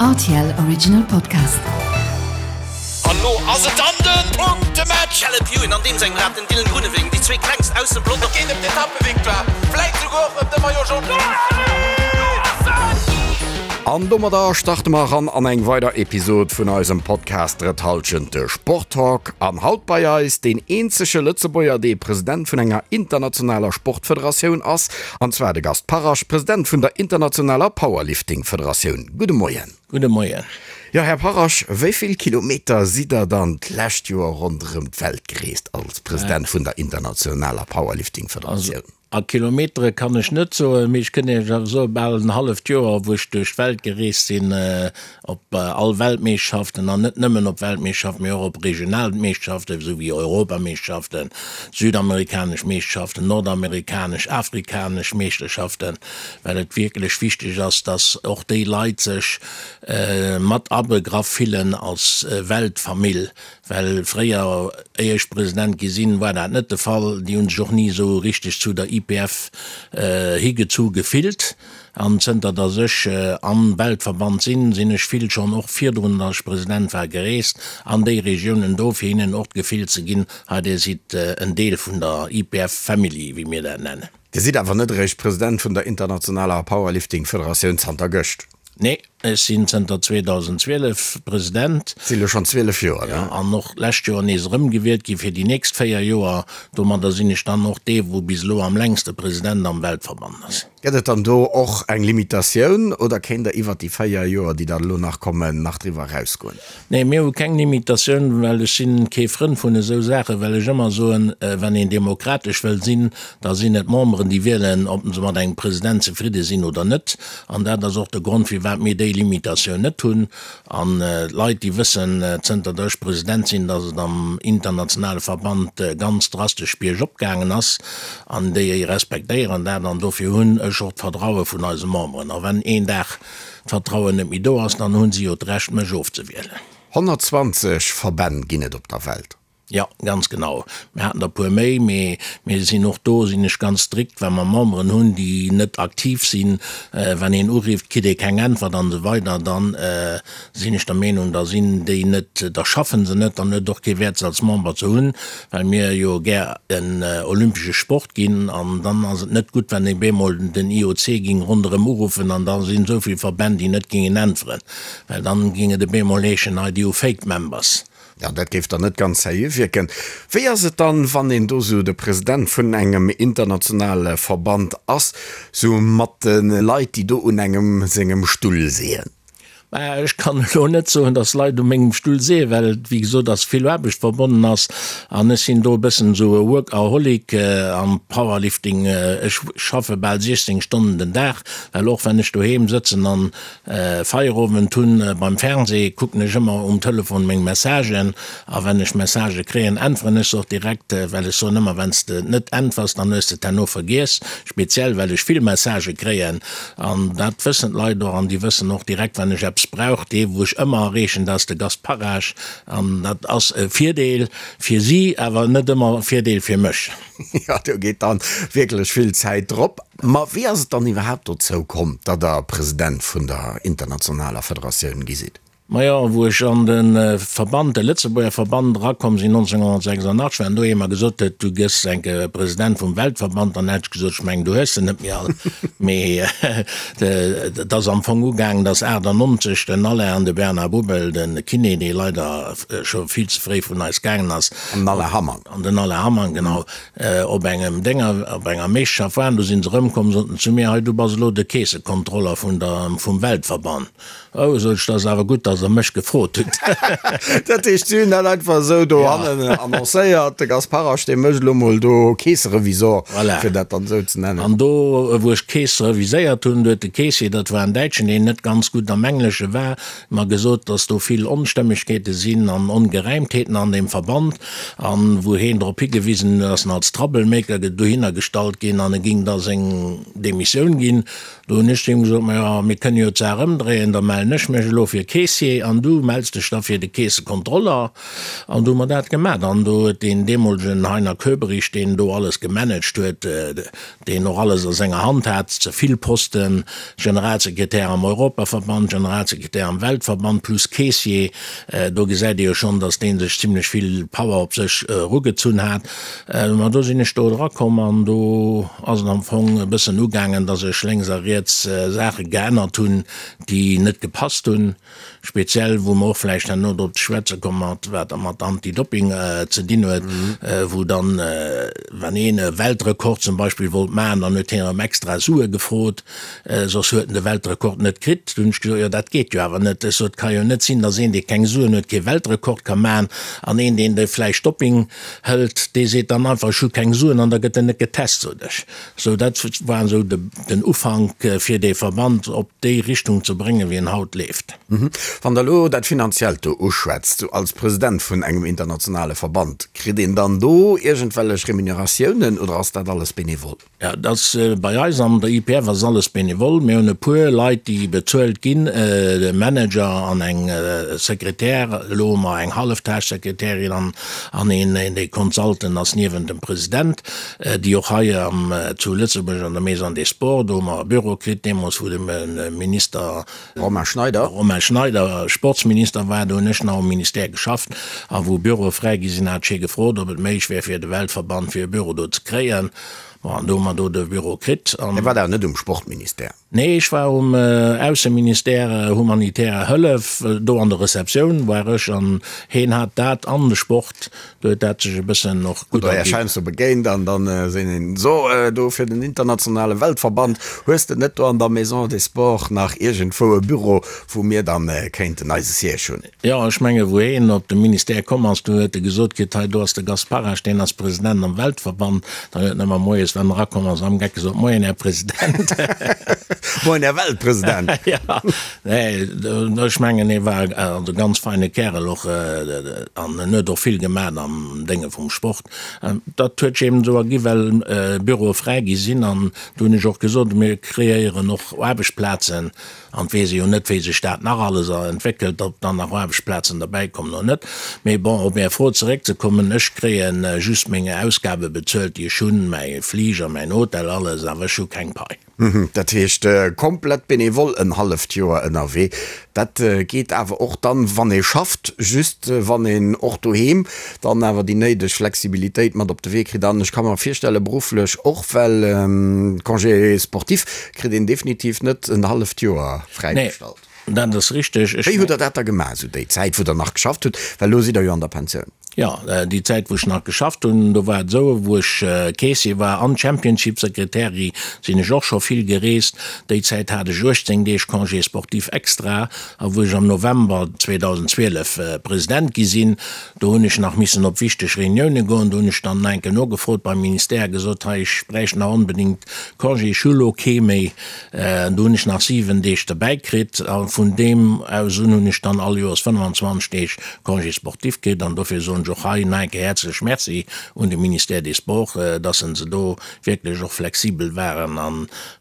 Rtl Original Podcast. An lo ass et dann den Punktematch! Caleb Ewan an deem sengem Rad den Dylan Groenewegen, déi zwee klengst aus dem Pelotong. Et geet ëm d'Etappevictoire, vläit souguer och ëm de Maillot Jaune. An domadder starte mer eran an eng weider Episod vun eisem Podcast Drëtt Hallschent, de Sporttalk. An haut bei eis deen eenzege Lëtzebuerger, dee President vun enger internationaler Sportfederatioun ass, An zwar de Gast Parrasch, President vun der internationaler Powerlifting-Federatioun. Gudde Moien. Gudde Moien. Jo, Här Parrasch, wéi vill Kilometer sidd Der dann d'lescht Joer ronderëm d'Welt gereest als President vun der internationaler Powerlifting-Federatioun? Also a Kilometere kann ech net soen, mee ech kënn Iech awer soen, bal en halleft Joer, wou ech duerch d'Welt gereest sinn, op all Weltmeeschterschaften an net nëmmen op Weltmeeschterschaften, mee och op regional Meeschterschaften, esou wéi Europameeschterschaften, südamerikanesch Meeschterschaften, nordamerikanesch, afrikanesch Meeschterschaften, well et wierklech wichteg ass, dass och déi Leit sech mat abegraff fillen als Weltfamill, well fréier, éier ech President gi sinn, war dat net de Fall. Déi hu sech och ni esou richteg zu der IPF higezu gefillt. An zënter datt ech am Weltverband sinn, sinn ech vill schonn och virdrun, datt ech President war, gereest an déi Regiounen do, fir hinnen och d'Gefill ze ginn, hei dir sidd en Deel vun der IPF Family, wéi mir dat nennen. Dir sidd awer net eréischt President vun der internationaler Powerlifting-Federatioun zanter gëscht? Nee, ech sinn zënter 2012 President. Si elo schonn 12 Joer, ne? Jo, an och d'lescht Joer nees erëmgewielt gi fir déi nächst 4 Joer. Domadder sinn ech dann och dee, wou bis elo am längste President am Weltverband ass. Gëtt et dann do och eng Limitatioun oder kéint Der iwwert déi 4 Joer, déi dann elo nach kommen, nach driwwer erausgoen? Nee, mir hu keng Limitatioun, well ech si kee Frënd vun esou Saachen, well ech ëmmer soen, wann een demokratesch wëll sinn, da sinn et d'Memberen, déi wielen, ob se mat engem President zefridde sinn oder net. An dat ass och de Grond, firwat mir déi Limitatioun net hunn. An d'Leit, déi wëssen, zënter datt ech President sinn, datt et am internationale Verband ganz drastesch biergop gaangen ass, an déi respektéieren dat. An dofir hunn ech och d'Vertraue vun eise Memberen. A wenn een Dag d'Vertrauen net méi do ass, dann hu si jo d'Recht, mech ofzewielen. 120 Verbänn ginn et op der Welt. Jo, ganz genau. Mir haten der e puer méi, mee mir sinn och do, sinn ech ganz strikt, wa mer Memberen hunn, déi net aktiv sinn, wann een urifft, kritt ee keng Äntwert an esou weider, dann sinn ech der Meenung, da sinn déi net, da schaffen se net, dann huet et och kee Wäert se als Member ze hunn, well mir jo gär en olympesche Sport ginn an dann ass et net gutt, wann ee bemol den IOC ging ronderëm uruffen an da sinn esou vill Verbänn, déi net gingen äntweren, well dann ging et e bemol heeschen, hei déi hu Fake Members. Jo, dat géif dann net ganz seriö wierken. Wéi ass et dann, wann een do sou de President vun engem internationale Verband ass, sou mat de Leit, déi do un engem sengem Stull seeën? Mä ech kann elo net soen, datt Leit u mengem Stull seeën, well et, wéi gesot ass, vill Aarbecht verbonnen ass. An ech sinn do e bëssen esou e Workaholic am Powerlifting. Ech schaffe bal 16 Stonnen den Dag, well och wann ech doheem sëtzen an Feierowend hunn beim Fernseh kucken ech ëmmer um Telefon meng Messagen a wenn ech Messagë kréien äntweren ech se och direkt, well ech soen ëmmer wann s de net äntwers dann hues de et herno vergiess, speziell well ech vill Messagë kréien an dat wëssen d'Leit och an déi wëssen och direkt wann ech eppes brauch. Dee wou ech ëmmer erreechen dat ass de Gast Parage an dat ass e Virdeel fir si awer net ëmmer e Virdeel fir mech. Jo, do geet dann wierklech vill Zäit drop. Ma wéi ass et dann iwwerhaapt dozou komm, datt Der President vun der internationaler Federatioun gi sidd? Majo, wou ech an de Verband, de Lëtzebuerger Verband erakomm sinn 1986, wann do ee mer gesot huet, du gëss enke President vum Weltverband, dann hätt ech gesot, ech mengen, du hues se net méi all. Mee et ass am Fong ugaangen, datt 98 den Alain an de Bernard Boubel, de Kiné, dee leider scho vill ze fréi vun eis gaangen ass, An den Alain Hamann. An den Alain Hamann, genau, op engem Dénger, op enger Meeschterschaft waren. Do sinn se erëmkomm, soten zu mir, Hei, du bass elo de Keessekontroller vun der, vum Weltverband. Oh, sot ech, dat ass awer gutt, datt Der mech gefrot hutt. Dat heescht, si hunn dat einfach esou dohannen annoncéiert, de Gasparasch, dee mécht elo mol do Keesserevisor, fir dat dann esou ze nennen. An do, wou ech d'Keess reviséiert hunn, do huet de Keessier, dat war en Däitschen, deen net ganz gutt am Englesche war, mer gesot, dass do vill Onstëmmegkeete sinn an Ongeräimtheeten an deem Verband, an wou heen drop higewisen huet, ass en als Troublemaker dohinner gestallt ginn an e ging da seng Demissioun ginn. Do hunn ech zu him gesot, Majo, mir kënne jo d'Saach ëmdréien, da mellen ech mech elo fir Keessier. Caissier an du mells dech da fir de Keessekontroller. An du hu mer dat gemat. An do huet deen deemolegen Heiner Köberich, deen do alles gemanagt huet, deen och alles a senger Hand hat, ze vill Posten, Generalsekretär am Europaverband, Generalsekretär am Weltverband plus Caissier, do gesäit ee jo schonn, datt dee sech zimlech vill Power op sech erugezunn hat. Ma do sinn ech do erakomm an do ass et am Fong e bëssen ugaangen, datt ech lénks a riets Saache geännert hunn, déi net gepasst hunn. Speziell wou mer och vläicht herno drop ze schwätze komme mat wat mat Anti-Doping ze dinn huet, wou dann, wann een e Weltrekord zum Beispill wollt maachen, dann huet hien erëm extra Sue gefrot, soss huet en de Weltrekord net kritt. Du hunn ech gesot, jo dat geet jo awer net. Ech sot, et ka jo net sinn, datt een, dee keng Suen huet, kee Weltrekord ka maachen an een, deen de vläicht Doping hëlt, dee seet dann einfach, ech hu keng Suen an da gëtt en net getest, sot ech. Sou, dat war esou den Ufank, fir dee Verband op déi Richtung ze bréngen, wéi en haut leeft. Wann Der elo dat Finanziellt do uschwätzt, sou als President vun engem internationale Verband, kritt een dann do iergendwellech Remuneratiounen oder ass dat alles benevol? Jo, dat ass bei eis an der IPF ass alles benevol. Mir hunn e puer Leit, déi bezuelt ginn, e Manager an eng Sekretär. Elo hu mer eng Halleftagssekretärin an an een, dee Consultant ass niewent dem President. déi och hei am zu Lëtzebuerg an der Maison des Sports, do hu mer e Büro kritt, deemools wou de Minister Romain Schneider. Romain Schneider Sportsminister war, do hunn ech nach um Ministère geschafft, a wou Büroe fräi gi sinn, hat ech hie gefrot, ob et méiglech wär fir de Weltverband fir e Büro do ze kréien. Bon, an do hu mer do de Büro kritt. Dir waart awer net um Sportministère? Nee, ech war um Ausseministère, humanitärer Hëllef, do an der Receptioun war ech, an heen hat dat an de Sport, do huet dat sech e bëssen och gutt erginn. Hutt der Iech heiansdo begéint an dann sinn een so do fir den internationale Weltverband, hues de net do an der Maison des Sports nach iergendwou e Büro, wou mir dann kéinten eise Siège hunn? Jo, ech menge wou heen op de Ministère komm ass, do huet e gesot kritt, hei do ass de Gast Parrasch, deen ass President am Weltverband. Dann huet en ëmmer moies, wann en erakomm ass, am Geck gesot, Moien, Här President. Moien, Här Weltpresident. Jo, nee, ech mengen hie war also e ganz feine Kärel och an en huet och vill gemaat am Dénge vum Sport. Dat huet sech eben esou ergi well Büroe fräi gi sinn an do hunn ech och gesot, mir kreéieren och Aarbechtsplazen. An et weess ee jo net, wéi sech dat nach alles entwéckelt, ob dann nach Aarbechtsplazen derbäikommen oder net. Mee bon, op Är Fro zeréckzekommen, Ech kréie just meng Ausgabe bezuelt, déi ech hunn, mäi Fliger, mäin Hotel, alles, awer ech hu keng Pai. Dat heescht, komplett benevol en halleft Joer ënnerwee. Dat geet awer och dann, wann ee schafft, just wann een och doheem dann awer déi néideg Flexibilitéit mat op de Wee kritt. An ech ka mer virstellen, berufflech och, well Congé sportif kritt een definitiv net en halleft Joer fräigestallt. Nee, dat ass richteg. Wéi hutt Der dat da gemaach, esou déi Zäit, wou Der nach geschafft hutt? Well elo sidd Der jo an der Pensioun. Jo, déi Zäit, wou ech nach geschafft hunn, do war et esou, wou ech Caissier war an Championship-Sekretäri, sinn ech och scho vill gereest. Déi Zäit hat ech 18 Deeg Congé sportif extra. A wou ech am November 2012 President gi sinn, do hunn ech nach missen op wichteg Reunioune goen. Do hunn ech dann enke nogefrot beim Ministère a gesot, hei, ech bräicht nach onbedéngt Congé, ech hu lo kee méi. Do hunn ech nach 7 Deeg derbäi kritt a vun deem aus un hunn ech dann all Joers 25 Deeg Congé sportif kritt. An dofir soen ech och hei nach eng Kéier häerzlech Merci un de Ministère des Sports, dass se do wierklech och flexibel waren a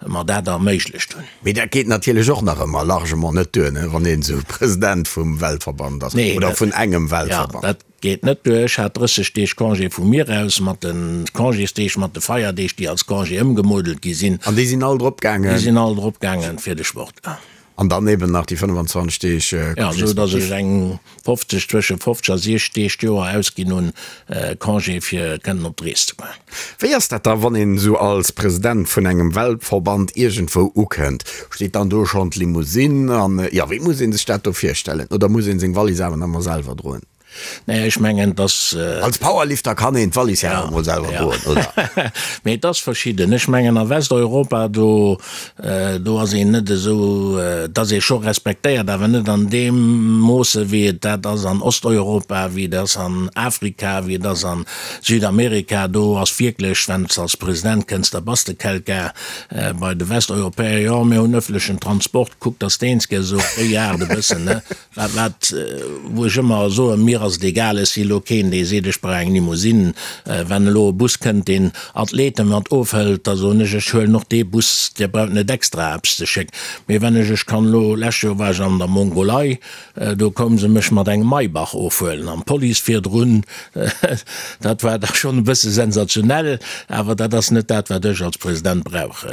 mer dat erméiglecht hunn. Mee dat geet natierlech och nach ëmmer largement net duer, wann een esou President vum Weltverband ass oder vun engem Weltverband. Jo, dat geet net duer. Ech hat 30 Deeg Congé vu mir aus, mat de Congésdeeg, mat de Feierdeeg, déi als Congé ëmgemodelt gi sinn. An déi sinn all drop gaangen? Déi sinn all drop gaangen fir de Sport. An dann eben nach déi 25 Deeg Congé sportif. Jo, esou datt ech eng 50, zwësche 50 a 60 Deeg d'Joer ausginn hunn, Congé fir kënnen op d'Rees ze goen. Wéi ass dat da wann een esou als President vun engem Weltverband iergendwou ukënnt? Steet dann do schonn d'Limousine an jo, wéi muss een sech dat do virstellen? Oder muss een seng Wallis awer nach emol selwer droen? Nee, ech mengen, dass. Als Powerlifter kann een d'Wallis ja awer emol selwer droen, oder? Mee et ass verschidden. Ech mengen a Westeuropa, do Do ass een net esou, et ass ee scho respektéiert, awer net an deem Moosse wéi et dat ass an Osteuropa, wéi et ass an Afrika, wéi et ass a Südamerika. Do ass wierklech, wann s de als President kënns, da bass de quelqu'un. Bei de Westeuropäer, jo, mir hunn ëffentlechen Transport, kuck, dass de eens gëss, esou op déi Aart e bëssen, ne? Wat, wat, wou ech ëmmer soen, mir. ass et egal. Ech si elo keen, dee seet, ech brauch eng Limousine. Wann elo e Bus kënnt, deen Athlete mat ofhëlt, da soen ech, ech huelen och dee Bus, Dir braucht net extra eppes ze schécken. Mee wann ech, ech kann elo, lescht Joer war ech an der Mongolei, do koume se mech mat engem Maybach ofhuelen an d'Police virdrun, dat war da schonn e bësse sensationell, awer dat ass net dat, wat ech als President brauch.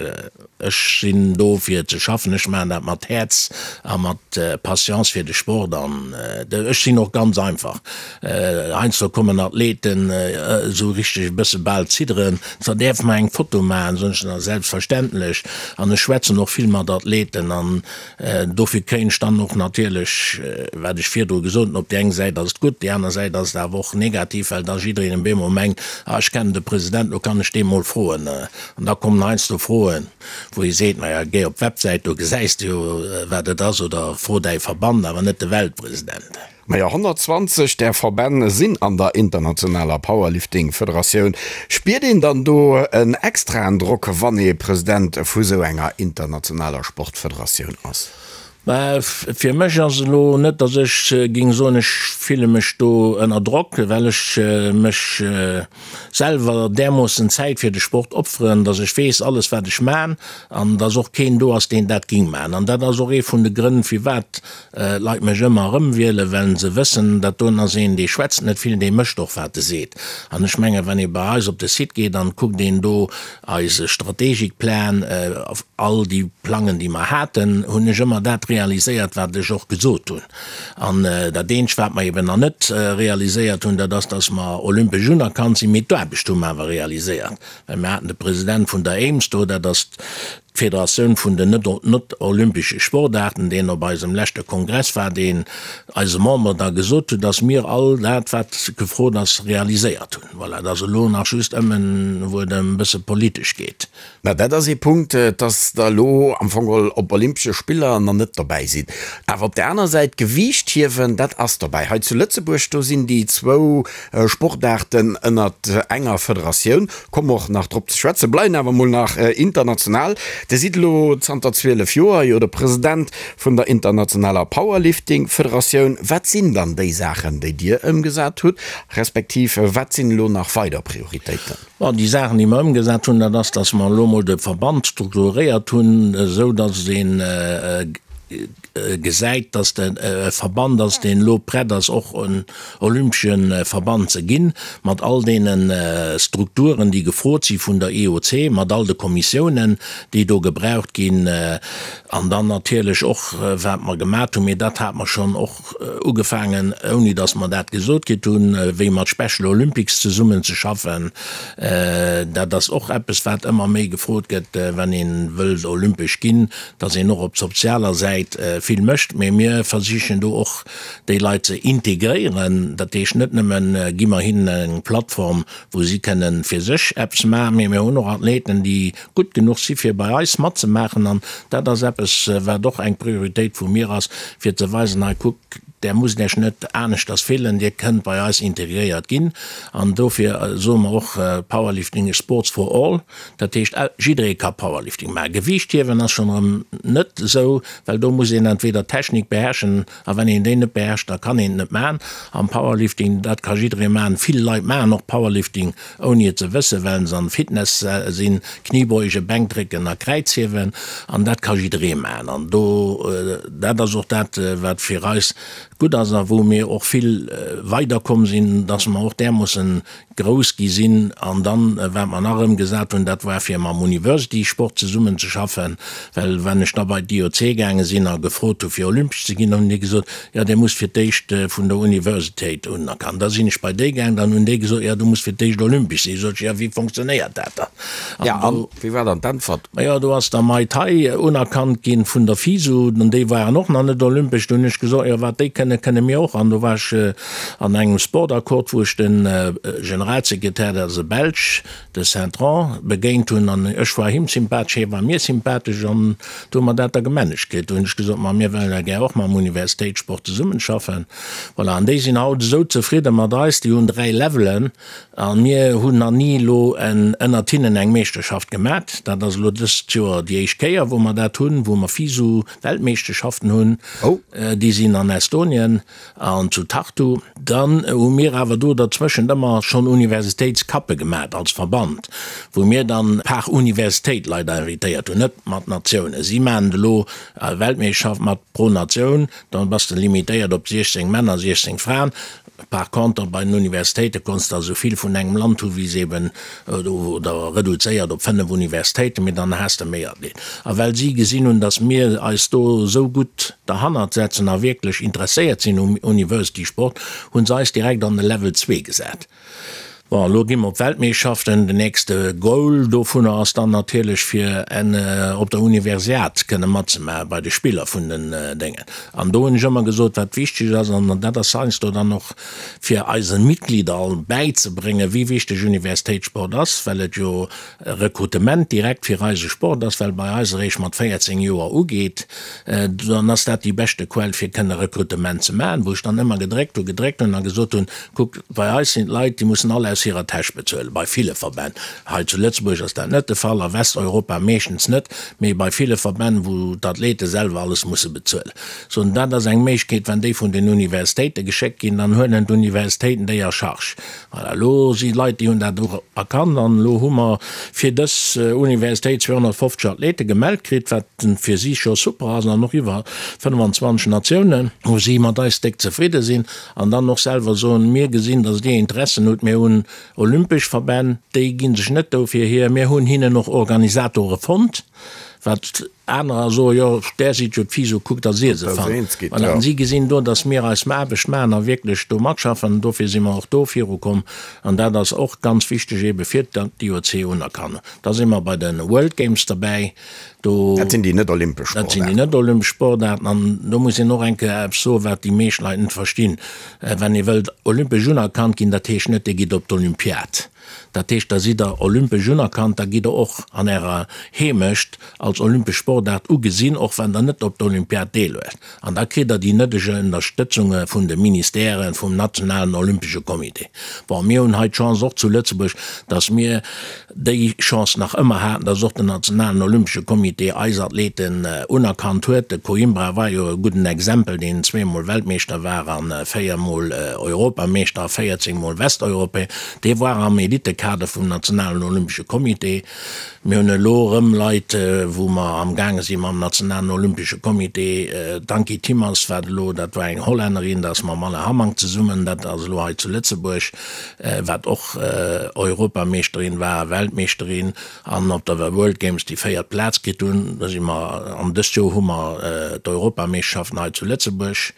Ech sinn do fir ze schaffen, ech maachen dat mat Häerz a mat Patience fir de Sport an ech sinn och ganz einfach. Heiansdo kommen Athleten esou richteg e bësse bal zidderen, so däerf mer eng Foto maachen, soen ech, na selbstverständlech. An ech schwätzen och vill mat Athleten an dofir kréien ech dann och natierlech, wat ech virdru gesot hunn, op déi eng Säit ass et gutt, déi aner Säit ass et awer och negativ, well da jiddereen op eemol mengt, ah ech kennen de President, lo kann ech dee mol froen. An da kommen heiansdo Froen, wou ee seet, Maja, géi op d'Websäit, do gesäis de jo, wat et ass, oder fro däi Verband, awer net de Weltpresident. Maja, 120 där Verbänn sinn an der internationaler Powerlifting-Federatioun. Spiert een dann do en extraen Drock, wann ee President vu sou enger internationaler Sportfederatioun ass? Mä fir mech ass elo net, datt ech géing soen, ech fille mech do ënner Drock, well ech mech selwer därmoossen Zäit fir de Sport opferen, datt ech weess, alles wat ech man, an datt och keen do ass, deen dat géing man. An dat ass och ee vun de Grënn, firwat d'Leit mech ëmmer erëm wielen, well se wëssen, dat doen ass een, dee schwätzt net vill, dee mécht och wat e seet. An ech mengen, wann ee bei eis op de Site geet an kuckt een do Eise Strategikplan, all déi Plangen, déi mer haten, hunn ech ëmmer dat realiséiert, wat ech och gesot hunn. An dat eenzegt, wat mer eben nach net realiséiert hunn, dat ass, dass mer olympesch unerkannt sinn. Mee d'Aarbecht hu mer awer realiséiert, well mir haten de President vun der AIMS do, dat ass d'Federatioun vun den net-olympesche Sportaarten, deen op eisem leschte Kongress war, deen eise Memberen da gesot huet, dass mir all dat, wat gefrot ass, realiséiert hunn. Voilà, et ass elo nach just ëmmen, wou et ëm e bësse politesch geet. Mä dat ass ee Punkt, dass Der elo am Fong geholl op Olympesche Spiller nach net dobäi sidd. Awer op där aner Säit, Gewiichthiewen, dat ass dobäi. Hei zu Lëtzebuerg, do sinn déi zwou Sportaarten ënnert enger Federatioun. Komme och nach drop ze schwätzen. Bleiwen awer mol nach international. Dir sidd elo zanter 12 Joer jo de President vun der internationaler Powerlifting-Federatioun. Wat sinn dann déi Saachen, déi Dir ëmgesat hutt, respektiv wat sinn elo nach weider Prioritéiten? Bon, déi Saachen, déi mer ëmgesat hunn, dat ass, datt mer elo emol de Verband strukturéiert hunn, esou datt ee gesäit, datt e Verband ass, deen elo prett ass, och en olympesche Verband ze ginn, mat all deene Strukturen, déi gefrot si vun der IOC, mat all de Kommissiounen, déi do gebraucht ginn. An dann natierlech och, wat mer gemat hunn, mee dat hate mer schonn och ugefaangen, ouni datt mer dat gesot kritt hunn, wéi mat Special Olympics zesummen ze schaffen. Dat ass och eppes, wat ëmmer méi gefrot gëtt, wann ee wëllt olympesch ginn, datt een och op sozialer Säit vill mécht. Mee mir versichen do och déi Leit ze integréieren. Dat heescht, net nëmme gi mer hinnen eng Plattform, wou si kënnen fir sech eppes maachen, mee mir hunn och Athleten, déi gutt genuch si fir bei eis matzemaachen an dat ass eppes wat och eng Prioritéit vu mir ass, fir ze weisen, hei kuckt, där musst Iech net aneschters fillen, Dir kënnt bei eis integréiert ginn an dofir soe mer och, Powerlifting is sports for all, dat heescht jidderee ka Powerlifting maachen. Gewiichthiewen ass schonn erëm net esou, well do muss een entweder d'Technik beherrschen a wann een déi net beherrscht, da kann een et net maachen. Am Powerlifting, dat ka jidderee maachen, vill Leit maachen och Powerlifting ouni et ze wëssen, well se an Fitness sinn, Kniebeugen, Bänkdrécken a Kräizhiewen, an dat ka jidderee maachen. An do, dat ass och dat, wat fir eis gutt ass a wou mir och vill weiderkomm sinn, dass mer och därmoossen grouss gi sinn. An dann, wat mer nach ëmgesat hunn, dat war fir mam University Sport zesummen ze schaffen, well wann ech da bei d'IOC gaange sinn a gefrot hu fir olympesch ze ginn, hunn déi gesot, Jo, Dir musst fir d'éischt vun der Universitéit unerkannt. Da sinn ech bei déi gaang, dann hunn déi gesot, Jo, du muss fir d'éischt olympesch sinn. Sot ech, Jo, wéi fonctionnéiert dat dann? An Ja, an wéi war dann d'Äntwert? Majo, do ass da Muay Thai unerkannt ginn vun der FISU, an déi waren och nach net olympesch. Do hunn ech gesot, Jo, wat déi kënnen, kënne mir och. An do war ech an engem Sportaccord, wou ech de Generalsekretär, dat ass e Belsch, de Saint-Tron begéint hunn an ech war him sympathesch, hie war mir sympathesch an do hu mer dat da gemanagt kritt. Do hunn ech gesot, ma mir wëllen da gär och mam Universitéitssport zesummenschaffen. Voilà, an déi sinn haut esou zefridde mat eis, déi hunn 3 Levelen a mir hunn nach ni elo ënnert hinnen eng Meeschterschaft gemat. Dat ass elo dëst Joer déi éischt Kéier, wou mer dat hunn, wou mer FISU-Weltmeeschterschaften hunn. Déi sinn an Estonien. Estonien an zu Tartu. Dann hu mir awer do derzwëschent ëmmer schonn Universitéitscuppe gemat als Verband, wou mir dann par Universitéit Leit invitéiert hunn, net mat Natiounen. Si maachen et elo Weltmeeschterschaft mat pro Natioun, dann bass de limitéiert op 16 Männer, 16 Fraen. Par conter bei den Universitéite konns de esou vill vun engem Land hu wéi se eben, oder reduzéiert op 5 Universitéiten, mee dann has de méi Athleten. A well si gesinn hunn, datt mir eis do esou gutt derhannert setzen a wierklech interesséiert sinn um University-Sport, hu se eis direkt an de Level 2 gesat. Bon, elo gi mer op d'Weltmeeschterschaften. Den nächste Goal dovunner ass dann natierlech fir en op der Universiad kënne matzemaache bei de Spiller vun den Déngen. An do hunn ech ëmmer gesot, wat wichteg ass, an dat ass heiansdo dann och fir eise Mitglieder all bäizebréngen, wéi wichteg Universitéitssport ass, well et jo e Rekrutement direkt fir eise Sport ass, well bei eis eréischt mat 14 Joer ugeet, dann ass dat déi beschte Quell fir kënne Rekrutement ze maachen, wou ech dann ëmmer gedréckt hunn, gedréckt hunn a gesot hunn, Kuckt, bei eis sinn d'Leit, déi mussen all aus hirer Täsch bezuelen, bei ville Verbänn. Hei zu Lëtzebuerg ass dat net de Fall, a Westeuropa meeschtens net, mee bei ville Verbänn, wou d'Athlete selwer alles musse bezuelen. Sou, an dat ass eng Méiglechkeet, wann déi vun den Universitéite geschéckt ginn, dann huelen d'Universitéiten déi a Charge. Voilà, elo si Leit, déi hunn dat och erkannt an elo hu mer fir dës Universitéit 250 Athlete gemellt kritt, wat fir si scho super ass, an och iwwer 25 Natiounen, wou si mat eis déck zefridde sinn. An dann och selwer soen, Mir gesinn, datt Dir Interessen hutt, mir hunn olympesch Verbänn, déi gi sech net dofir hier, mir hunn hinnen och Organisatore fonnt, wat anerer soen, jo, där sidd jo d'FISO, kuckt, datt Dir se fannt. Voilà, an si gesinn do, datt mir eis Aarbecht maachen a wierklech do matschaffen, an dofir si mer och do virukomm. An dat ass och ganz wichteg eebe fir d'IOC unerkannt. Da si mer bei de World Games derbäi. Do, Dat sinn déi net olympesch Dat sinn déi Sportaarten. net olympesch Sportaarten. An do muss een och eng Kéier eppes soen, wat déi meescht Leit net verstinn. Wann ee wëllt olympesch unerkannt ginn, dat heescht net, Dir gitt op d'Olympiad. Dat heescht, da sidd Der olympesch unerkannt, da gitt Der och an Ärer Heemecht als olympesch Sportaart ugesinn, och wann Der net op der Olympiad deelhuelt. An da kritt Der déi nëdege Ënnerstëtzunge vun de Ministèren, vum nationalen olympesche Comité. Bon, mir hunn hei d'Chance och zu Lëtzebuerg, dass mir déi Chance nach ëmmer haten, dass och den nationalen olympesche Comité eis Athleten unerkannt huet. De Coimbra war jo e gudden Exempel, deen zweemol Weltmeeschter war a véiermol Europameeschter a 14 mol Westeuropäer. Dee war am Elitekader vum nationalen olympesche Comité. Mir hunn elo erëm Leit, wou mer amgaange si mam Nationalen Olympesche Comité, d'Ankie Timmers, wat elo, dat war eng Hollännerin, dat ass mam Alain Hamank zesummen, dat ass elo hei zu Lëtzebuerg, wat och Europameeschterin war, Weltmeeschterin an op der World Games déi véiert Plaz kritt hunn. Da si mer, an dëst Joer hu mer d'Europameeschterschaften hei zu Lëtzebuerg.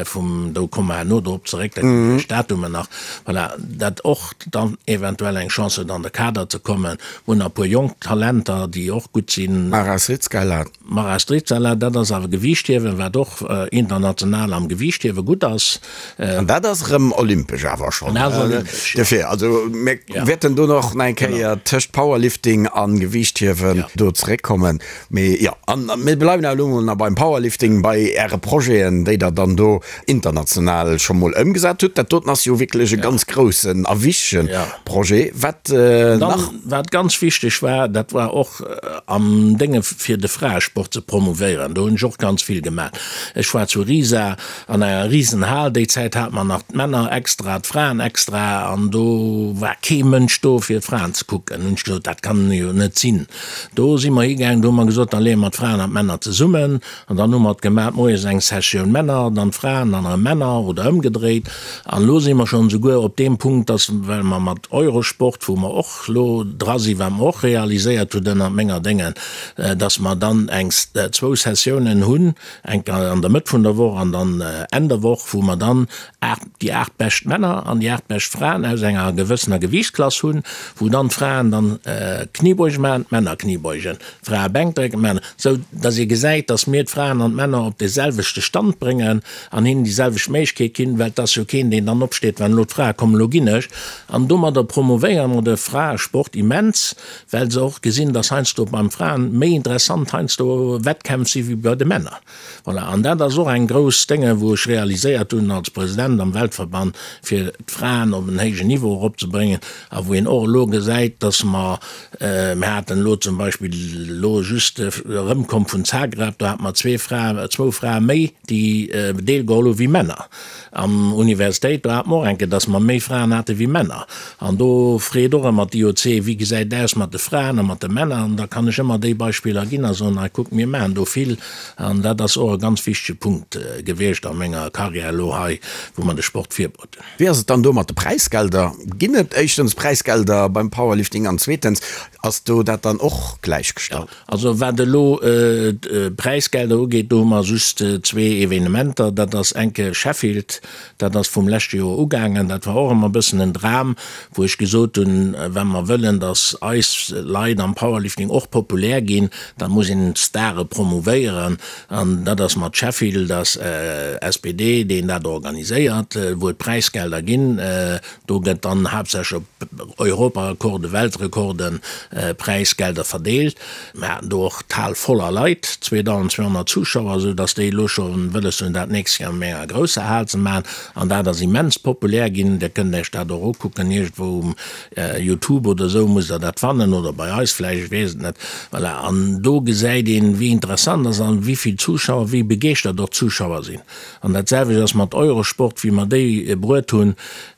Vum, do komme mer herno drop zeréck, dat ginn ech Datumen nach, voilà, dat och dann eventuell eng Chance huet an de Kader ze kommen. Mir hunn e puer jonk Talenter, déi och gutt sinn. Mara Srizgala. Mara Srizgala, dat ass awer Gewiichthiewen, wat och international am Gewiichthiewe gutt ass. An dat ass erëm olympesch awer schonn. Dat ass olympesch, jo. Dofir, also mir wäerten do nach eng Kéier tëscht Powerlifting a Gewiichthiewen do zeréckkommen. Mee jo, an mir bleiwen awer elo mol nach beim Powerlifting, bei Äre Projeten, déi Der dann do international scho mol ëmgesat hutt. Dat doten ass jo wierklech e ganz groussen a wichtege Projet. Wat nach? Wat ganz wichteg war, dat war och am Dénge fir de Fraesport ze promouvéieren. Do hunn ech och ganz vill gemaach. Ech war zu Riesa an enger Risenhal. Déi Zäit hate mer nach d'Männer extra, d'Fraen extra, an do war kee Mënsch do fir d'Fraen ze kucken. Hunn ech gesot, dat kann jo net sinn. Do si mer higaangen, do hu mer gesot, da leeë mer d'Fraen an d'Männer zesummen. An dann hu mer et gemaat, moies eng Sessioun Männer, dann d'Fraen, dann erëm Männer oder ëmgedréit. An elo si mer schonn esouguer op deem Punkt, dass, well mer mat Eurosport, wou mer och elo dra sinn, wat mer och realiséiert hunn ënnert menger Déngen, dass mer dann eng, zwou Sessiounen hunn, eng an der Mëtt vun der Woch an dann Enn der Woch, wou mer dann 8, déi 8 bescht Männer an déi 8 bescht Fraen aus enger gewëssener Gewiichtsklass hunn, wou dann d'Fraen dann Kniebeuge maachen, d'Männer Kniebeugen, d'Frae Bänkdrécken, d'Männer, sou dass ee gesäit, dass mir d'Fraen an d'Männer op dee selwechte Stand bréngen an hinnen déi selwecht Méiglechkeet ginn, well et ass jo keen, deen dann opsteet, wann elo d'Frae kommen, elo ginn ech. An domadder promovéiere mer de Fraesport immens, well se och gesinn, dass heiansdo beim Fraen méi interessant. heiansdo Wettkämpf si wéi bei de Männer. Voilà, an dat ass och eng grouss Dénge wou ech realiséiert hunn als President am Weltverband, fir d'Fraen op en héijen Niveau eropzebréngen a wou een och elo gesäit, dass mer, mir haten elo zum Beispill elo just erëmkomm vun Zagreb, do hate mer zwee Frae, zwou Frae méi, déi deelgeholl hu wéi Männer. Am Universitéit, do hate mer och eng Kéier, dass mer méi Fraen hate wéi Männer. An do freet och ëmmer d'IOC, wéi gesäit et aus mat de Fraen a mat de Männer? An da kann ech ëmmer déi Beispiller ginn a soen, hei kuckt, mir maachen do vill. An dat ass och e ganz wichtege Punkt gewiescht a menger Karriär elo hei, wou mer de Sport virbruet hunn. Wéi ass et dann do mat de Präisgelder? Ginn et éischtens Präisgelder beim Powerlifting an zweetens, ass do dat dann och gläichgestallt? Also wat elo d'Präisgelder ugeet, do hu mer just zwee Evenementer. Dat ass eng Kéier Sheffield, dat ass vum leschte Joer ugaangen. Dat war och ëmmer e bëssen en Dram, wou ech gesot hunn, wa mer wëllen, datt eis Leit am Powerlifting och populär ginn, da muss een d'Stare promouvéieren. An dat ass mat Sheffield, ass SPD, deen dat organiséiert, wou et Präisgelder ginn. Do gëtt dann haaptsächlech op Europarekorden, Weltrekorden, Präisgelder verdeelt. Mir haten do och d'Hal voller Leit, 2.200 Zuschauer, esou datt déi elo scho wëlles hunn, dat nächst Joer an enger grousser Hal ze maachen. An dat ass immens populär ginn. Dir kënnt Iech dat och ukucken, iergendwou um Youtube oder esou musst Der dat fannen oder bei eis vläicht, ech weess et net. Voilà, an do gesäit een, wéi interessant ass an wéi vill Zuschauer, wéi begeeschtert och d'Zuschauer sinn. An dat selwecht ass mat Eurosport, wéi mer déi bruet hunn,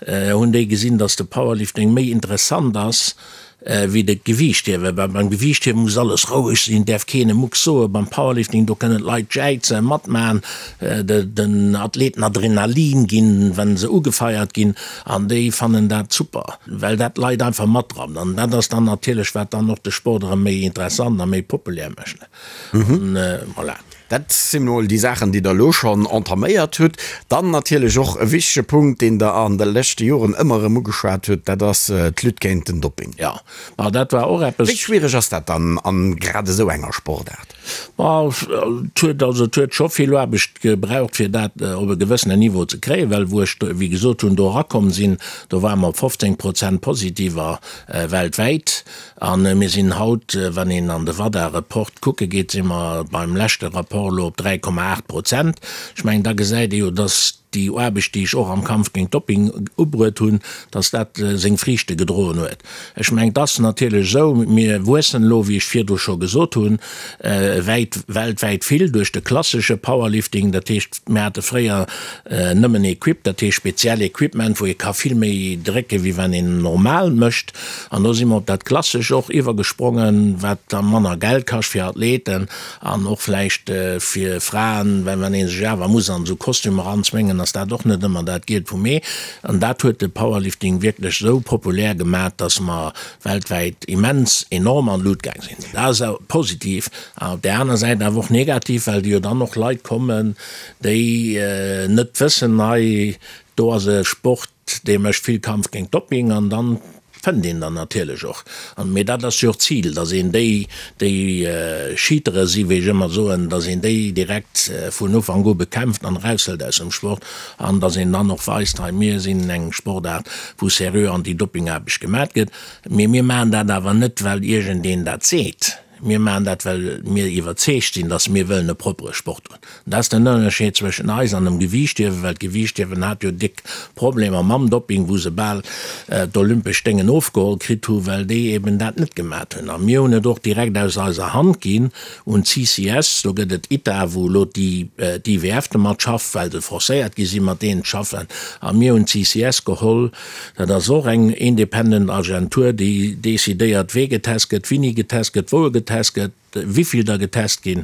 hunn déi gesinn, datt de Powerlifting méi interessant ass wéi de Gewiichthiewen, well beim Gewiichthiewen muss alles roueg sinn, däerf keen e Mucks soen. Beim Powerlifting, do kënnen d'Leit jäizen, matmachen, den Athleten Adrenalin ginn, wa se ugefeiert ginn, an déi fannen dat super, well dat d'Leit einfach matrappt. An dat ass dann natierlech, wat dann och de Sport erëm méi interessant a méi populär mécht. Voilà. Dat sinn emol déi Saachen, déi Der elo schonn entaméiert hutt. Dann natierlech och e wichtege Punkt, deen Der an de leschte Joren ëmmer erëm ugeschwat hutt, dat ass d'Lutte géint den Dopping. Jo, ma dat war och eppes. Wéi schwiereg ass dat dann a grad esou enger Sportaart? Ma et huet also, et huet scho vill Aarbecht gebraucht, fir dat op e gewëssenen Niveau ze kréien, well wou ech, wéi gesot hunn, do erakomm sinn, do ware mer op 15 Prozent Positiver weltwäit. A mir sinn haut, wann een an de WADA-Report kucke geet, si mer beim leschte Rapport elo op 3,8 Prozent. Ech mengen, da gesäit ee jo, dass déi Aarbecht, déi ech och am Kampf géint Dopping ubruet hunn, dass dat seng Friichte gedroen huet. Ech mengen, et ass natierlech esou, mir wuessen elo, wéi ech virdru scho gesot hunn, wäit, weltwäit vill duerch de klassesche Powerlifting. Dat heescht, mir hate fréier nëmmen Equip, dat heescht speziell Equipment, wou ee ka vill méi drécken, wéi wann een normal mécht. An do si mer op dat Klassesch och iwwergesprongen, wat da manner Geld kascht fir Athleten an och vläicht fir Fraen, well wann ee sech awer muss an esou Kostümer eranzwéngen, ass dat och net ëmmer dat Gielt vum Ee. An dat huet de Powerlifting wierklech esou populär gemaat, dass mer weltwäit immens enorm an d'Lut gaang sinn. Dat ass positiv an op där aner Säit awer och negativ, well jo dann och Leit kommen, déi net wëssen, hei do ass e Sport, Dee mécht vill Kampf géint Dopping an dann fënnt een der natierlech och. An, mee dat ass jo och d'Zil, datt een déi, déi Cheatere si wéi ech ëmmer soen, datt een déi direkt vun Ufank u bekämpft an eraushëlt aus dem Sport an datt een dann och weist, hei mir sinn eng Sportaart wou seriö Anti-Dopping-Aarbecht gemat gëtt. Mee mir maachen dat awer net well iergendeen dat seet. Mir maachen dat, well mir iwwerzeegt sinn, dass mir wëllen e proppere Sport hunn. Dat ass den Ënnerscheed zwëschen eis an dem Gewiichthiewen, well d'Gewiichthiewen hat jo déck Problemer mam Dopping, wou se bal d'olympesch Déngen ofgeholl kritt hu well déi eben dat net gemat hunn. A mir hunn et och direkt aus eiser Hand ginn un d'CCS. Do gëtt et ITA, wou elo d'IWF domat schafft, well se forcéiert gi sinn, mat deenen ze schaffen. A mir hunn d'CCS geholl, Dat ass och eng independent Agentur, déi decidéiert, wee getest gëtt, wini getest gëtt, wou e getest gëtt, wivill der getest ginn.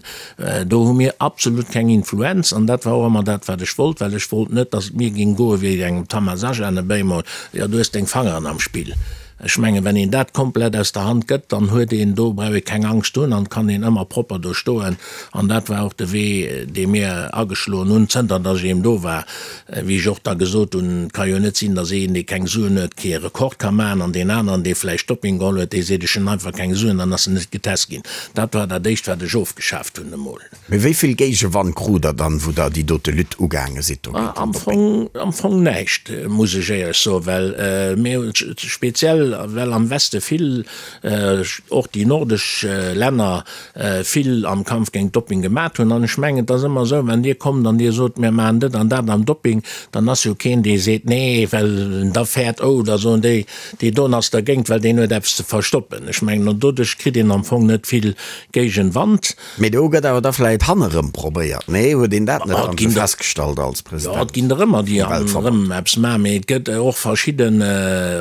Do hu mir absolut keng Influenz. An dat war och ëmmer dat, wat ech wollt, well ech wollt net, datt et mir géing goe wéi engem Tamas Ajan e Bémol, Jo, du hues deng Fangeren am Spill. Ech mengen, wenn een dat komplett aus der Hand gëtt, dann huet een, do brauch ee keng Angscht hunn an kann een ëmmer propper do stoen. An dat war och de Wee, dee mir ageschloen hunn, zënter datt ech eben do war. Wéi ech och da gesot hunn, et ka jo net sinn, datt een, dee keng Suen huet, kee Rekord ka maachen an deen aneren, dee vläicht Dopping geholl huet, dee seet, ech hunn einfach keng Suen, dann ass en net getest ginn. Dat war dat Éischt, wat ech ofgeschaaft hunn emol. Mee wéi vill Géigewand krut Der dann, wou Der déi dote Lutte ugaange sidd do géint den Dopping? Am Fong näischt, muss ech éierlech soen, well mir hunn speziell. well, well am Weste vill, och déi nordesch Länner vill am Kampf géint Dopping gemat hunn. An ech mengen, et ass ëmmer esou, wann Dir kommt an Dir sot, mir maachen dat an dat am Dopping, dann ass jo keen, dee seet, nee, well en da fäert, oh, da soen déi, dee doen ass dergéint, well deen huet eppes ze verstoppen. Ech mengen, an doduerch kritt een am Fong net vill Géigenwand. Mee do gëtt awer da vläit hannerëm probéiert, nee? Huet een dat net dann esou festgestallt als President Jo, et ginn der ëmmer, déi hannerëm eppes maachen, mee et gëtt och verschidde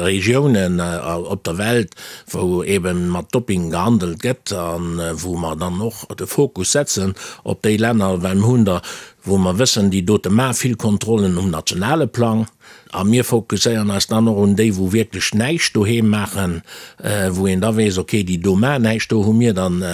Regiounen op der Welt, wou eeben mat Dopping gehandelt gëtt a wou mer dann och de Fokus setzen op déi Länner, well mir hunn der, wou mer wëssen, déi dote maache vill Kontrollen um nationale Plang. A mir fokusséieren eis dann och un déi, wou wierklech näischt doheem maachen, wou een da weess, okay, déi do maachen näischt. Do hu mir dann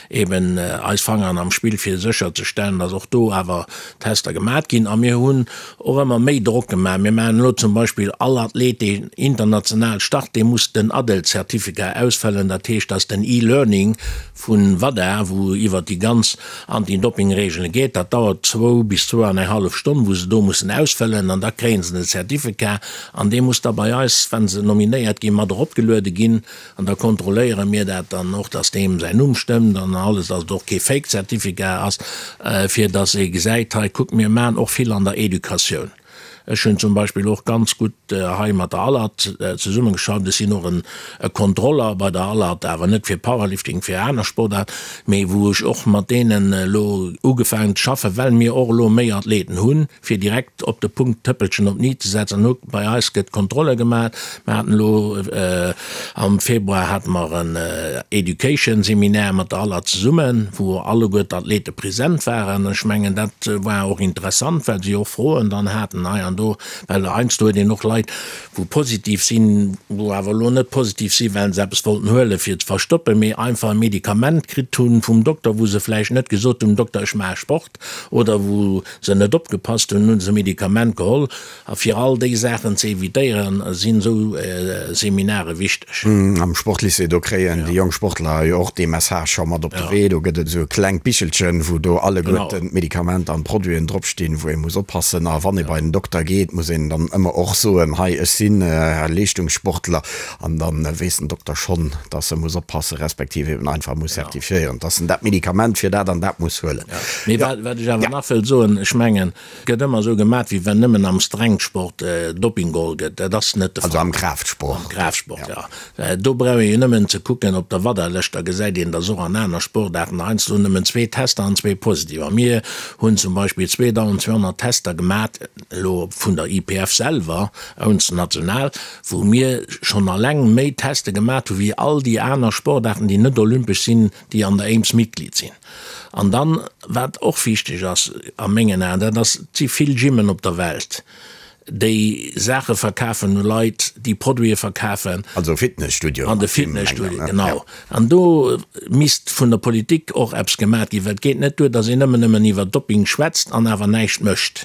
eben eis Fangeren am Spill, fir sécherzestellen, dass och do awer Tester gemaat ginn. A mir hunn och ëmmer méi Drock gemaach. Mir maachen elo zum Beispill, all Athlet, deen international start, dee muss den ADEL-Certificat ausfëllen. Dat heescht, dass den E-Learning Vun WADA, wou iwwert déi ganz Anti-Doping-Reegele geet. Dat dauert zwou bis zwou an eng hallef Stonn, wou se do mussen ausfëllen an da kréien se den Certificat an dee muss da bei eis, wa se nominéiert ginn, mat eropgeluede ginn an da kontrolléiere mir dat dann och, dass deem säin Numm stëmmt an alles, dass et och kee Fake-Certificat ass, fir dass ee gesäit, hei kuck, mir maachen och vill an der Educatioun. Ech hunn zum Beispill och ganz gutt hei mat der ALAT zesummegeschafft. Ech sinn och e Kontroller bei der ALAT, awer net fir Powerlifting, fir aner Sportaarten, mee wou ech och mat deenen elo ugefaangen ze schaffen, well mir och elo méi Athleten hunn, fir direkt op de Punkt d'Tëppelchen op d'Ni ze setzen. Hu bei eis gëtt Kontrolle gemaach. Mer haten elo am Februar hate mer en Education Seminaire mat der ALAT zesummen, wou alleguer d'Athlete present waren. Ech mengen, dat war och interessant, well si och Froen dann haten hei an do, well heiansdo huet een och Leit, wou positiv sinn, wou awer elo net positiv sinn, well se eppes wollten huelen, fir ze verstoppen, mee einfach e Medikament kritt hunn vum Dokter, wou se vläicht net gesot hunn, Dokter, ech maache Sport, oder wou se net opgepasst hunn, hu se e Medikament geholl. A fir all déi Saachen ze evitéieren, sinn esou Seminare wichteg. Am Sportlycée, do kréien déi jonk Sportler jo och dee Message scho mat op de Wee. Do gëtt et esou e klengt Bichelchen, wou do alleguerten d'Medikamenter an d'Produiten dropstinn, wou ee muss oppassen. A wann ee bei den Dokter geet, muss een dann ëmmer och soen, hei, ech sinn Leeschtungssportler. An da weess den Dokter schonn, dass e muss oppassen, respektiv eben einfach muss certifiéieren, dass en dat Medikament fir dat an dat muss huelen. Mee wat ech awer nach wëll soen, ech mengen, Gëtt ëmmer esou gemat, wéi wenn nëmmen am Strengsport Doping geholl gëtt. Dat ass net de Fall. Also am Kraaftsport. Am Kraaftsport, jo. Do brauch ee jo nëmmen ze kucken op der WADA-Lëscht, da gesäit een, dass och an aner Sportaarten heiansdo nëmmen zwee Tester an zwee positiv. A mir hunn zum Beispill 2.200 Tester gemat, elo vun der IPF selwer, ons national, wou mir schonn alleng méi Teste gemat hu wéi all déi aner Sportaarten, déi net olympesch sinn, déi an der AIMS Mitglied sinn. An dann, wat och wichteg ass a mengen Aen, dat ass, et si vill Gymmen op der Welt, déi Saache verkafen u Leit, déi Produite verkafen. Also Fitnesstudioen. An de Fitnesstudioen, genau. An do misst vun der Politik och eppes gemaat ginn, well et geet net duer, datt een ëmmer nëmmen iwwer Doping schwätzt an awer näischt mécht.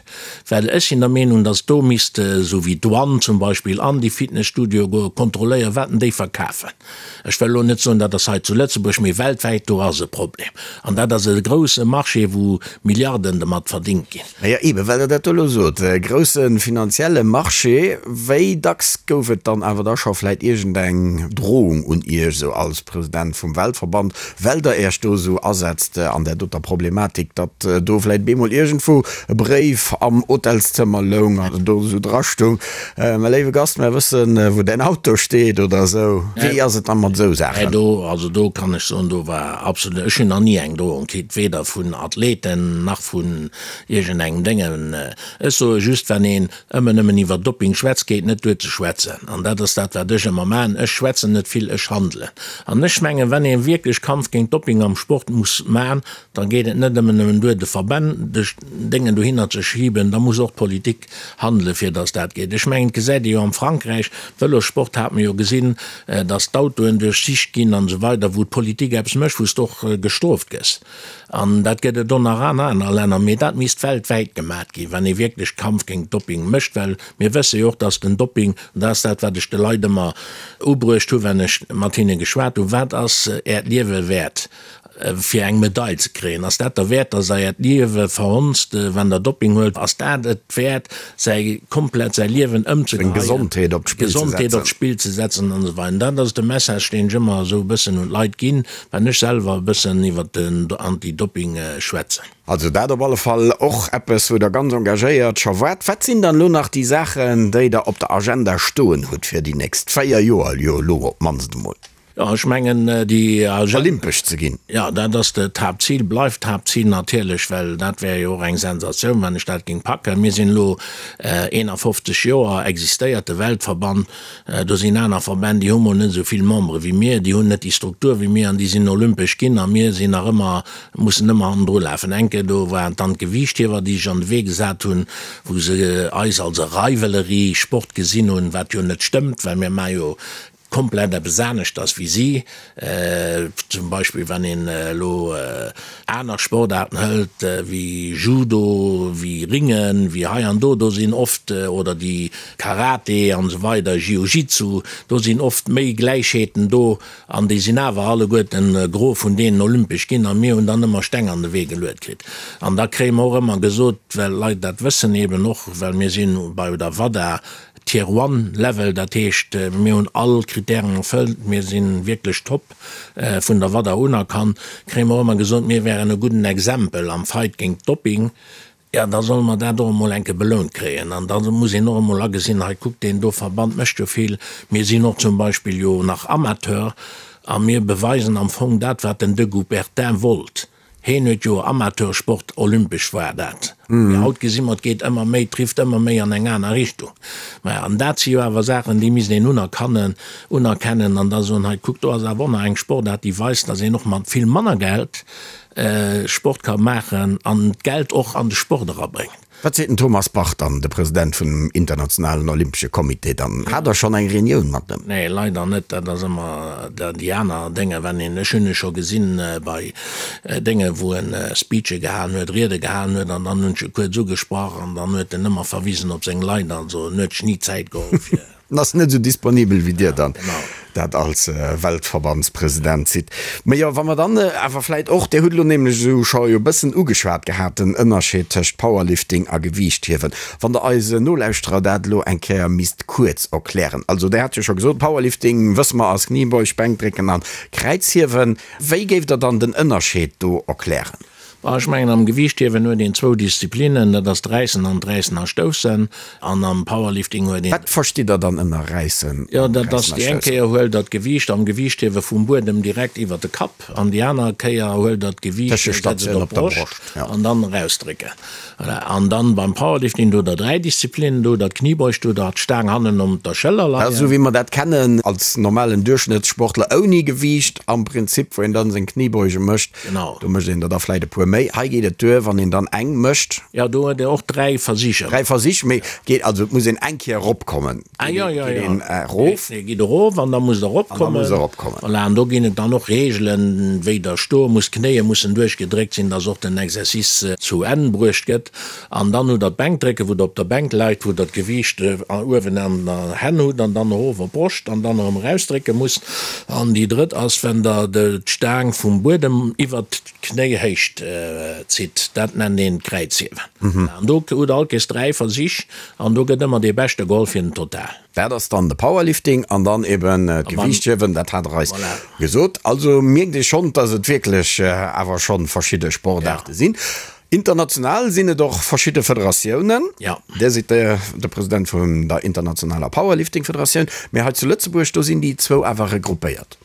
Well ech sinn der Meenung, datt do misst, esou wéi d'Douane zum Beispill, an déi Fitnesstudioe goen, kontrolléieren, wat denn déi verkafen. Ech wëll elo net soen, dat ass hei zu Lëtzebuerg, mee weltwäit, do ass e Problem. An dat ass e grousse Marché, wou Milliarden dermat verdingt ginn. Majo, eeben, well Der dat do elo sot, e grousse finanzielle Marché. Wéi dacks gouf et dann awer da scho vläicht iergendeng Drohung un Iech, esou als President vum Weltverband, well Der Iech do esou asetzt an där doter Problematik, datt do vläicht bemol iergendwou e Bréif am Hotelszëmmer loung an do esou drastoung, Mä léiwe Gast, mär wëssen, wou däin Auto steet oder esou. Wéi ass et da mat esou Saachen? Do, also do kann ech soen, do war absolut, ech hunn nach ni eng Drohung kritt, weder vun Athleten nach vun iergendengem Déngen. Ech soe just, wann een ëmmer nëmmen iwwer Doping schwätzt, geet net duer ze schwätzen. An dat ass dat, wat ech ëmmer maachen. Ech schwätzen net vill, ech handelen. An ech mengen, wann ee wierklech Kampf géint Doping am Sport muss maachen, da geet et net ëmmer nëmmen duer, de Verbänn de Déngen dohinner ze schiben, da muss och d'Politik handelen, fir datt dat geet. Ech mengen, et gesäit ee jo am Frankräich, Vëlossport hat mer jo gesinn, datt d'Autoen duerchsicht ginn an esou weider, wou d'Politik eppes mécht, wou s de och gestrooft gëss. An dat gëtt et och nach an aner Länner, mee dat misst weltwäit gemat ginn, wann ee wierklech Kampf géint Doping mécht, well mir wësse jo och, datt den Doping, an dat ass dat, wat ech de Leit ëmmer ubruecht hu wann ech mat hinne geschwat hunn, Wat ass Äert Liewe wäert? Fir eng Medail ze kréien? Ass dat derwäert, dass Der Äert Liewe verhonzt, wann Der Dopping huelt? Ass dat et wäert, säi komplett säi Liewen ëmzegeheien, Gesondheet op d'Spill ze Gesondheet op setzen? d'Spill ze setzen an esou weider? Dat ass de Message, deen ech ëmmer esou e bëssen un d'Leit ginn, wann ech selwer e bëssen iwwert den Anti-Dopping schwätzen. Also dat op alle Fall och eppes, wou Der ganz engagéiert scho waart. Wat sinn dann elo nach déi Saachen, déi Der op der Agenda stoen hutt fir déi nächst 4 Joer, jo elo op d'mannst emol? Jo, ech mengen, déi Agenda. Olympesch ze ginn. Jo, dat ass d'Haaptzil, bleift d'Haaptzil natierlech, well dat wär jo och eng Sensatioun, wann ech dat géing packen. Mir sinn elo 51 Joer, existéiert de Weltverband. Do sinn aner Verbänn, déi hu mol net esou vill Membere wéi mir, déi hunn net déi Struktur wéi mir an déi sinn olympesch ginn a mir sinn nach ëmmer, mussen ëmmer hannendru lafen. Eng Kéier do waren et dann d'Gewiichthiewer, déi sech an de Wee gesat hunn, wou se eis als e Rivalry-Sport gesinn hunn, wat jo net stëmmt, well mir maache jo komplett eppes aneschters wéi si. Zum Beispill wann een elo aner Sportaarten hëlt wéi Judo, wéi Ringen, wéi hei an do, do sinn oft, oder déi Karate an esou weider, Jiu-Jitsu, do sinn oft méi Gläichheeten do an déi sinn awer alleguerten, e Gros vun deenen, olympesch ginn a mir hunn dann ëmmer Steng an de Wee geluet kritt. An da kréie mer och ëmmer gesot, well d'Leit dat wëssen eben och, well mir sinn bei der WADA Tier One Level, dat heescht mir hunn all Kritären erfëllt, mir si wierklech top vun der WADA unerkannt, kréie mer och ëmmer gesot, mir wären e gudden Exempel am Fight géint Doping. Jo, da solle mer dat och emol eng Kéier belount kréien. An da muss een och emol agesinn, hei kuckt, deen do Verband mécht jo vill, mir sinn och zum Beispill jo nach Amateur a mir beweisen am Fong dat, wat den de Coubertin wollt. Heen huet jo Amateursport, olympesch war dat. Mee haut gesi mer, et geet ëmmer méi, trifft ëmmer méi an eng aner Richtung. Maja, an dat si jo awer Saachen, déi misst een unerkannen, unerkennen an da soen, hei kuckt, do ass awer och nach eng Sportaart, déi weist, datt een och mat vill manner Geld Sport ka maachen an d'Geld och an de Sport erabréngt. Wat seet den Thomas Bach dann, de President vun dem Internationalen Olympesche Comité dann? Hat Der schonn eng Reunioun mat em? Nee, leider net. Dat ass ëmmer déi aner Dénge, wann een, ech hunn e scho gesinn bei Dénge wou en Speeche gehalen huet, Riede gehalen huet an dann hunn ech e kuerz ugesprach an dann huet en ëmmer verwisen op seng Leit. Also en huet sech ni Zäit geholl fir. En ass net esou disponibel wéi Dir dann dat als Weltverbandspresident sidd. Mä jo, wa mer dann awer vläit och, Dir hutt elo nämlech esou scho jo e bëssen ugeschwat gehat, den Ënnerscheed tëscht Powerlifting a Gewiichthiewen. Wann Der eise Nolauschterer dat elo eng Kéier misst kuerz erklären. Also Der hat jo scho gesot, Powerlifting, wësse mer, ass Kniebeuge, Bänkdrécken an Kräizhiewen. Wéi géift Der dann den Ënnerscheed do erklären? Bon, ech mengen, am Gewiichthiewen huet een zwou Disziplinnen, dat ass d'Räissen an d'Räissen a Stoussen. An am Powerlifting huet een. Wat verstitt Der dann ënner Räissen Jo, dat ass, déi eng Kéier huelt Der d'Gewiicht am Gewiichthiewe vum Buedem direkt iwwer de Kapp an déi aner Kéier huelt Der d'Gewiicht, setzt et op d'Broscht an dann erausdrécken. Voilà. An dann beim Powerlifting, do hutt Der 3 Disziplinnen, do hutt Der d'Kniebeuge, do hutt Der d'Staang hannen op der Schëller leien. Esou wéi mer dat kennen als normalen Duerchschnëttssportler ouni Gewiicht am Prinzip, wou een dann seng Kniebeuge mécht. Genau. Do mécht een der da vläit e puer méi. Hei geet et duer, wann een dann eng mécht. Jo, do huet een och 3 Versicher. 3 Versich, mee geet, also et muss een eng Kéier eropkommen. Ah jo, jo, jo. Geet een erof. Nee, geet erof an da muss der eropkommen. An da muss der eropkommen. Voilà, an do ginn et dann och Reegelen, wéi der stoe musst, d'Knéie mussen duerchgedréckt sinn, dass och den Exercice zu Enn bruecht gëtt. An dann hutt der d'Bänkdrécken, wou der op der Bänk leit, wou der d'Gewiicht uewen an der Hänn hutt an dann erof op d'Broscht an dann erëm erausdrécke musst. An déi drëtt ass, wenn der d'Staang vum Buedem iwwert d'Knéihéicht zitt. Dat nennt een d'Kräizhiewen. An do hutt der allkéiers 3 Versich an do gëtt ëmmer dee Beschte geholl fir den Total. Dat ass dann de Powerlifting an dann eben d'Gewiichthiewen, dat hat der eis gesot. Also mierkt ee schonn, dass et wierklech awer schonn verschidde Sportaarte sinn. International sinn et och verschidde Federatiounen. Ja. Dir sidd de de President vun der internationaler Powerlifting-Federatioun, mee hei zu Lëtzebuerg, do sinn déi zwou awer regroupéiert.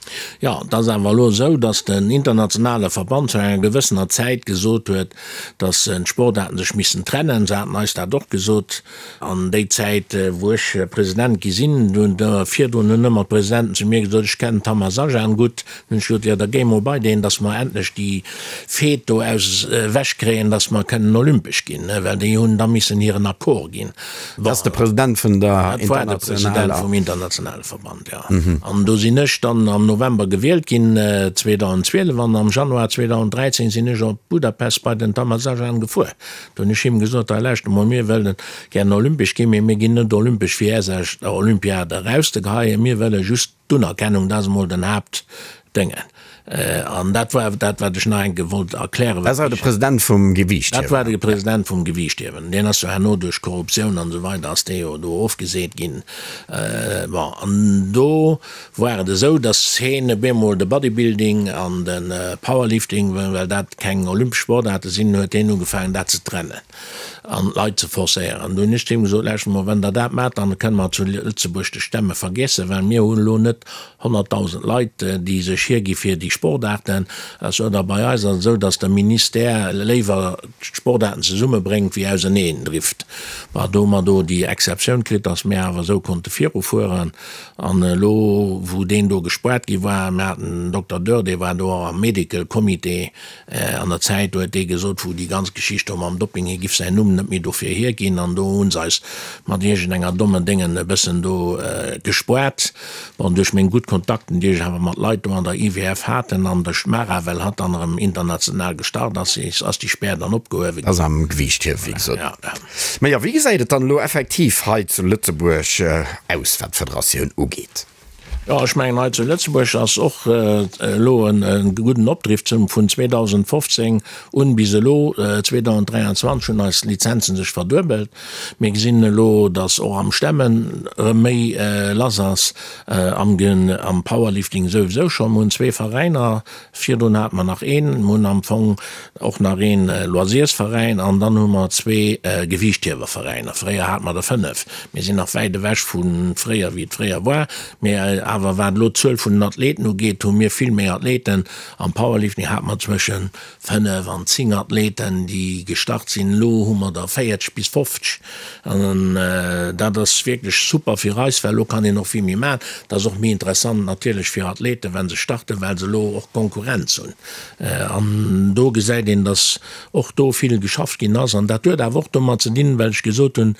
Jo, et ass awer elo esou, datt den internationale Verband zu enger gewëssener Zäit gesot huet, datt d'Sportaarten sech missten trennen. Se haten eis dat och gesot an déi Zäit, wou ech President gi sinn. Virdrun hunn ëmmer d'Presidenten zu mir gesot, ech kennen d'Tamas Ajan gutt, Hunn ech gesot, jo da géi mol bei deen, dass mer endlech déi Fête do aus ewech kréien, dass mer kënnen olympesch ginn, well déi hunn da missen hiren Accord ginn. Dat ass de President vun der Dat war de President vum internationale Verband, jo. An do sinn ech dann am November gewielt ginn, 2012, an am Januar 2013 sinn ech op Budapest bei den Tamás Ajan gefuer. Do hunn ech him gesot, hei lauschter mol, mir wëllen gären olympesch ginn, mee mir ginn net olympesch fir Är Olympiade erauszegeheien, mir wëlle just, D'Unerkennung, dat ass emol den Haaptdéngen. An dat war dat, wat ech nach eng Kéier wollt erklären. Dat ass awer de President vum Gewiichthiewen. Dat war de President vum Gewiichthiewen. Deen ass jo herno duerch Korruptioun an esou weider ass dee jo do ofgeseet ginn. Bon, an do war et esou, datt heen op eemol de Bodybuilding an de Powerlifting, well dat keng olympesch Sportaarte sinn, huet heen ugefaangen dat ze trennen an d'Leit ze forcéieren. An do hunn ech zu him gesot, Lauschtert mol, wann Der dat maacht, dann kënne mer zu Lëtzebuerg de Stemme vergiessen, well mir hunn elo net 100.000 Leit, déi sech hiergi fir déi Sportaarten. Also oder bei eis ass et esou, datt de Ministère léiwer d'Sportaarten zesummebréngt wéi auserneen drift. Bah, do hu mer do déi Exceptioun kritt, datt mir awer esou konnte virufueren. An elo, wou deen do gespoart gi war, mir haten den Dokter Dörr, dee war do och am Medical Comité an der Zäit, do huet dee gesot, wou déi ganz Geschicht do mam Dopping, hie giff säin Numm net méi dofir hierginn. An do hu se eis mat iergendenger dommen Déngen e bëssen do gespoart. Bon, duerch meng gutt Kontakten, déi ech awer mat Leit do an der IWF haten, an duerch d'Mara, well hatt dann erëm international gestart ass, ass déi Spär dann opgehuewe ginn. Ass am Gewiichthiewen, wéi gesot. Mä jo, wéi gesäit et dann elo effektiv hei zu Lëtzebuerg aus, wat d'Federatioun ugeet? Jo, ech mengen, hei zu Lëtzebuerg ass och elo e gudden Opdriff zum vun 2015 un bis elo 2023 hunn eis Lizenzen sech verduebelt. Mir gesinn elo, datt och am Stemmen erëm méi lass ass, am am Powerlifting souwisou scho. Mir hunn zwee Veräiner, virdrun hate mer nach een. Mir hunn am Fong och nach een Loisirsveräin an dann hu mer zwee Gewiichthiewerveräiner. Fréier hate mer der 5. Mir sinn nach wäit ewech vu fréier, wéi et fréier war. Mee awer wat elo d'Zuel vun den Athleten ugeet, hu mir vill méi Athleten. Am Powerlifting hate mer zwësche 5 an 10 Athleten, déi gestart sinn. Elo hu mer der 40 bis 50. An dat ass wierklech super fir eis, well elo kann een och vill méi maachen. Dat ass och méi interessant natierlech fir Athleten, wa se starten, well se elo och Konkurrenz hunn. An do gesäit een, dass och do vill geschafft ginn ass. An dat huet awer och domat ze dinn, well ech gesot hunn,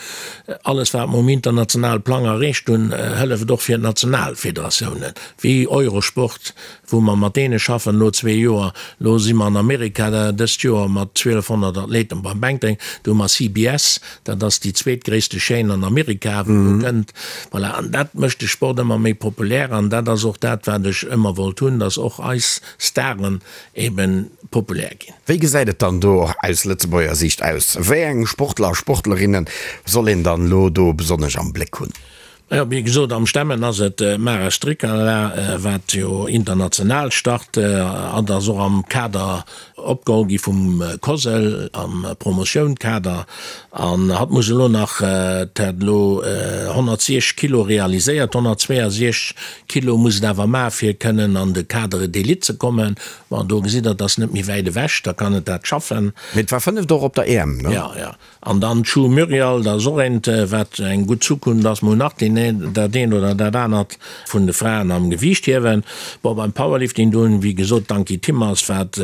alles wat mer um internationale Plang erreecht hunn, hëlleft och fir d'national Federatiounen, wéi Eurosport, wou mer mat deene schaffen elo zwee Joer. Elo si mer an Amerika dëst Joer mat 1.200 Athleten beim Bänkdrécken. Do hu mer CBS, dat ass déi zweetgréisste Chaîne an Amerika, wou do kënnt. Voilà, an dat mécht de Sport ëmmer méi populär. An dat ass och dat, wat ech ëmmer wollt hunn, dass och eis Staren eben populär ginn. Wéi gesäit et dann do aus Lëtzebuerger Siicht aus? Wéi eng Sportler a Sportlerinne soll een dann elo do besonnesch am Bléck hunn? Jo, wéi gesot, am Stemmen ass et d'Mara Strykala, wat jo international start. Hatt ass och am Kader opgeholl gi vum COSL, am Promotioun-Kader. An hatt muss elo nach, hat elo 160 Kilo realiséiert, 162 Kilo muss et awer maachen, fir kënnen an de Cadre d'élite ze kommen. Bon, do gesitt Der, et ass net méi wäit ewech, da kann et dat schaffen. Mee et war fënneft och op der EM, ne? Jo, jo. An dann d'Schu Muriel, dat ass och eent, wat eng gutt Zukunft ass. Mir hunn nach deen, dat eent oder dat anert vun de Fraen am Gewiichthiewen. Bon, beim Powerlifting, do hunn, wéi gesot, d'Ankie Timmers, wat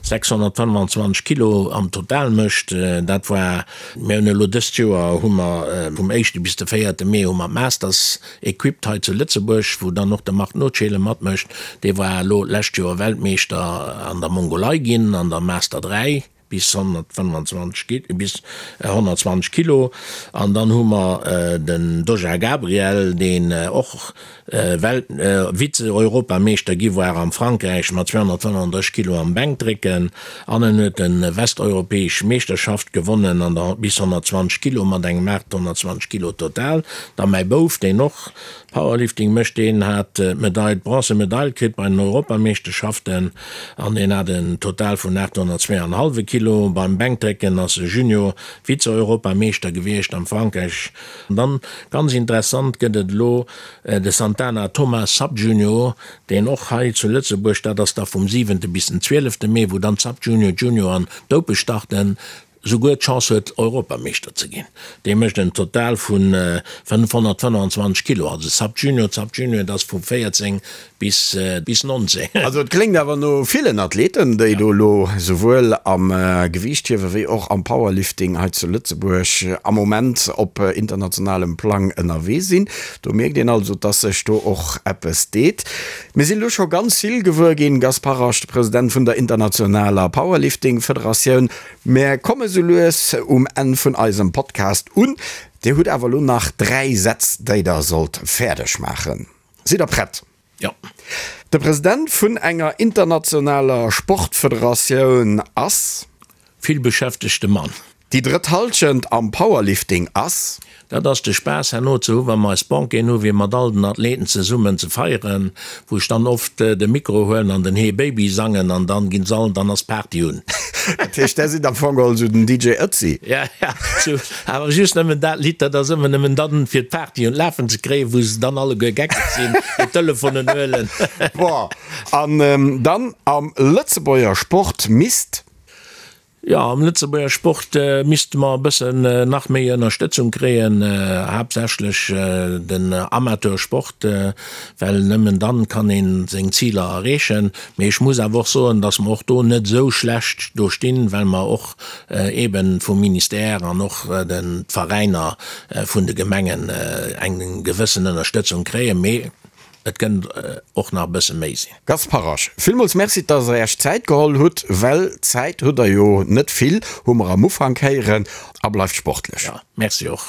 625 Kilo am Total mécht. Dat war, mir hunn elo dëst Joer hu mer vum éischte bis de véierte Mee hu mer d'Masters Equipped hei zu Lëtzebuerg, wou dann och de Marc Notschele matmécht. Dee war elo d'lescht Joer Weltmeeschter an der Mongolei ginn an der Master 3 bis 125 bis 120 Kilo. An dann hu mer den Doja Gabriel, deen och Welt Vize-Europameeschter gi war am Frankräich mat 235 Kilo am Bänkdrécken. An en huet de westeuropäesch Meeschterschaft gewonnen an der bis 120 Kilo mat engem 820 Kilo Total. Da mäi Bouf, deen och Powerlifting mécht, deen hat d'Medail, d'Bronze Medail kritt bei den Europameeschterschaften an deen hat en Total vun 802,5 Kilo. Beim Bänkdrécken ass e Junior Vize-Europameeschter gewiescht am Frankräich. An dann, ganz interessant, gëtt et elo de Santana Thomas Sub-Junior, deen och hei zu Lëtzebuerg, dat ass da vum siwente bis den zwielefte Mee, wou dann d'Sub-Junior, Junior an d'Open starten, souguer d'Chance huet Europameeschter ze ginn. Dee mécht en Total vu 525 Kilo, also Sub-Junior, d'Sub-Junior, dat ass vu 14 bis bis 19. Also et kléngt awer no villen Athleten, déi do elo souwuel am Gewiichthiewe wéi och am Powerlifting hei zu Lëtzebuerg am Moment op internationalem Plang ënnerwee sinn. Do mierkt een also, dass sech do och eppes deet. Mir sinn elo scho ganz vill gewuer ginn, Gaspard Rasch, de President vun der internationaler Powerlifting-Federatioun. Mir komme sou lues um Enn vun eisem Podcast un. Dir hutt awer elo nach 3 Sätz, déi der sollt fäerdeg maachen. Sidd der prett? Jo. De President vun enger internationaler Sportfederatioun ass? Vill beschäftegte Mann. Déi drëtt Hallschent am Powerlifting ass? Dat ass de Spaass herno ze hu wa mer eis Banqueten hu fir mat all den Athleten zesummen ze feieren, wou ech dann oft de Mikro huelen an den Hey Baby sangen an dann ginn se all, dann ass d'Party un. Dat heescht, där sidd am Fong geholl esou den DJ Ötzi? Ja, ja, sou, awer just nëmmen dat Lidd, dat ass ëmmer nëmmen dann fir d'Party un d'Lafen ze kréien, wou se dann alleguer geckeg sinn, hir Telefonen huelen. Bon, an dann am Lëtzebuerger Sport misst? Jo, am Lëtzebuerger Sport misste mer e bëssen nach méi Ënnerstëtzung kréien, haaptsächlech den Amateursport, well nëmmen dann kann ee seng Ziler erreechen. Mee ech muss awer och soen, datt mer och do net esou schlecht do stinn, well mer och eeben vum Ministère an och de Veräiner vun de Gemengen eng gewëssen Ënnerstëtzung kréien. Mee Et kënnt och nach e bësse méi sinn. Gast Parrasch, villmools Merci, dass Der Iech Zäit geholl hutt, well Zäit hutt Der jo net vill, hu mer am Ufank héieren, a bleift sportlech. Jo, Merci och.